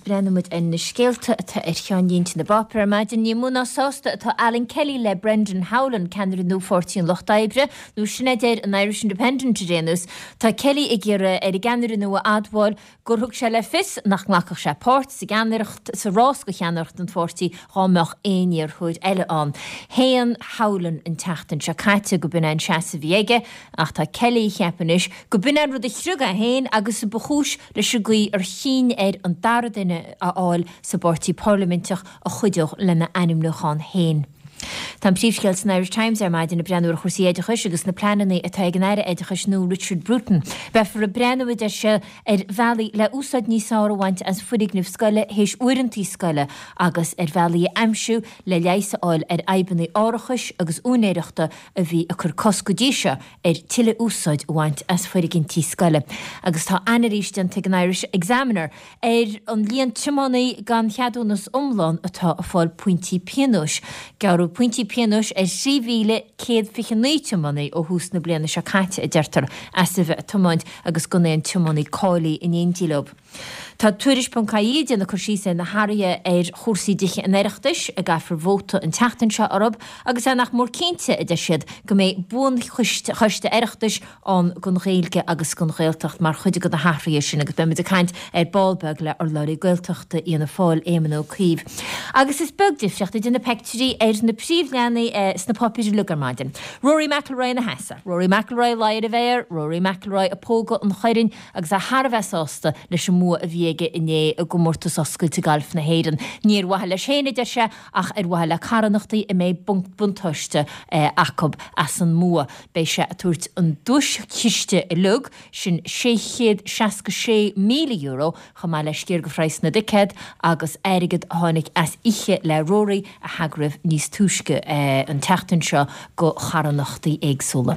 breathnóidh muid ar na scéalta atá ar cheannlínte na bpáipéar ar maidin. Ní mó ná sásta atá Alan Kelly le Brendan Howlin, ceannaire nua Pháirtí an Lucht Oibre, nó sin a deir an Irish Independent ar aon nós. Tá Kelly ag iarraidh ar an gceannaire nua a admháil gur thug sé le fios nach nglacfadh sé páirt sa gceannaireacht sa rás do cheannaireacht an pháirtí dhá mbeadh aon iarrthóir eile ann. Shéan Howlin an tseachtain seo caite go b'in é an seasamh a bhí aige ach tá Kelly ag ceapadh anois go b'in é an rud a chriog é féin agus a ba chúis leis an gcaoi ar chinn air an dara duine a fháil sa bpáirtí parlaiminteach a chuideodh lena ainmniúchán féin. Tá an príomhscéal san Irish Times ar maidin ag breathnú ar chúrsaí oideachais agus na pleananna atá ag an Aire Oideachais nua Richard Bruton. Beifear ag breathnú, a deir sé, ar bhealaí le úsáid níos fearr a bhaint as foirgnimh scoile théis uaireanta scoile agus ar bhealaí a aimsiú le leigheas a fháil ar fhadhbanna árachais agus úinéireachta a bhí ag cur cosc go dtí seo ar tuilleadh úsáid a bhaint as foirgintí scoile. Agus tá anailís déanta ag an Irish Examiner ar an líon tiománaí gan cheadúnas iomlán atá ag fáil pointí pionóis. Gearradh pointí pionóis ar 3,129 tiománaí ó thús na bliana seo caite, a deirtear, as a bheith ag tiomáint agus gan aon tiománaí cáilithe in éindí leo. Tá Tuairisc ponc ie ag déanamh cur síos ar na hathruithe ar chúrsaí dTithe an Oireachtais a gcaithfear vóta an tseachtain seo orthu agus é nach mór cinnte, a deir siad, go mbeidh buanchoiste Oireachtais ann don Ghaeilge agus don Ghaeltacht mar chuid de na hathruithe sin agus beidh muid ag caint ar ball beag le urlabhraí Gaeltachta Fhianna Fáil, Éamon Ó Cuív. Agus is beag difríocht idir na peictiúirí ar na príomhleathanaigh sna páipéir uilig ar maidin. Rory McIlroy ina sheasamh, Rory McIlroy ag leí ar an bhféar, Rory McIlroy ag pógadh an choirn, agus é thar a bheith sásta leis an mbua a bhí aige inné i gComórtas Oscailte Gailf na hÉireann. Ní ar mhaithe leis féin, a deir sé, ach ar mhaithe le carthanachtaí a mbeidh buntáiste acu as an mbua. Beidh sé ag tabhairt an duaischiste uilig, sin €666,000, chomh maith le sciar de phraghas na dticéad agus airgead a tháinig as oíche le Rory a heagraíodh níos túisce an tseachtain seo do charthanachtaí éagsúla.